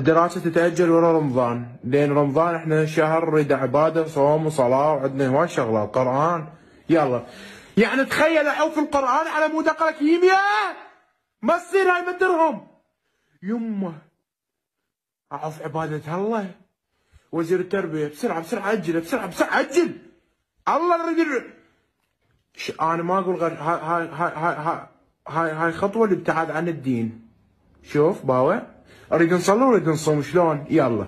الدراسة تتأجل ورا رمضان، لين رمضان احنا شهر نريد عبادة صوم وصلاة وعندنا هواي شغلات قرآن. يلا يعني تخيل احوف القرآن على مود اقرا كيمياء، ما تصير هاي ما درهم. يمه اعوف عبادة الله. وزير التربية بسرعة بسرعة عجل بسرعة بسرعة عجل. الله نريد انا ما اقول غير هاي خطوة الابتعاد عن الدين. شوف باوع اريد نصلي ونريد نصوم شلون؟ يلا.